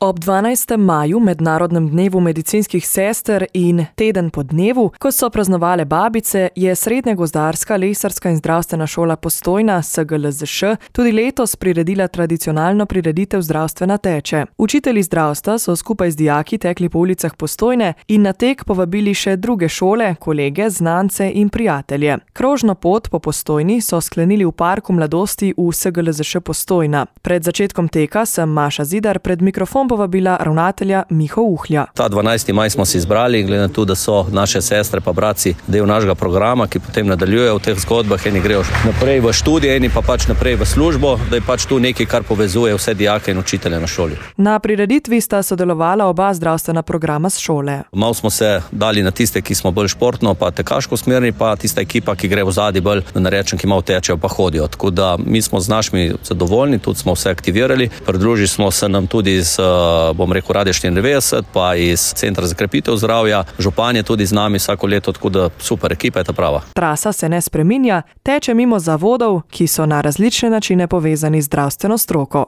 Ob 12. maju, mednarodnem dnevu medicinskih sester in teden po dnevu, ko so praznovale babice, je Srednja gozdarska, lesarska in zdravstvena šola Postojna, SGLZŠ, tudi letos priredila tradicionalno prireditev Zdravstvena teče. Učitelji zdravstva so skupaj z dijaki tekli po ulicah Postojne in na tek povabili še druge šole, kolege, znance in prijatelje. Krožno pot po Postojni so sklenili v parku mladosti v SGLZŠ Postojna. Pred začetkom teka sem Maša Zidar pred mikrofon povabila ravnatelja Miho Uhlja. Ta 12. maj smo si izbrali, glede na to, da so naše sestre pa bratci del našega programa, ki potem nadaljujejo v teh zgodbah, eni grejo naprej v študije, eni pa naprej v službo, da je tu nekaj, kar povezuje vse dijake in učitelje na šoli. Na prireditvi sta sodelovala oba zdravstvena programa s šole. Malo smo se dali na tiste, ki smo bolj športno pa tekaško smerni, pa tista ekipa, ki gre v zadnji bolj, da ne rečem, ki malo tečejo pa hodijo. Tako da mi smo z našimi zadovoljni, tudi smo vse aktivirali. Pridružili smo se nam tudi z Radio 94, pa iz Centra za krepitev zdravja. Župan je tudi z nami vsako leto, tako da super, ekipa je ta prava. Trasa se ne spreminja, teče mimo zavodov, ki so na različne načine povezani z zdravstveno stroko.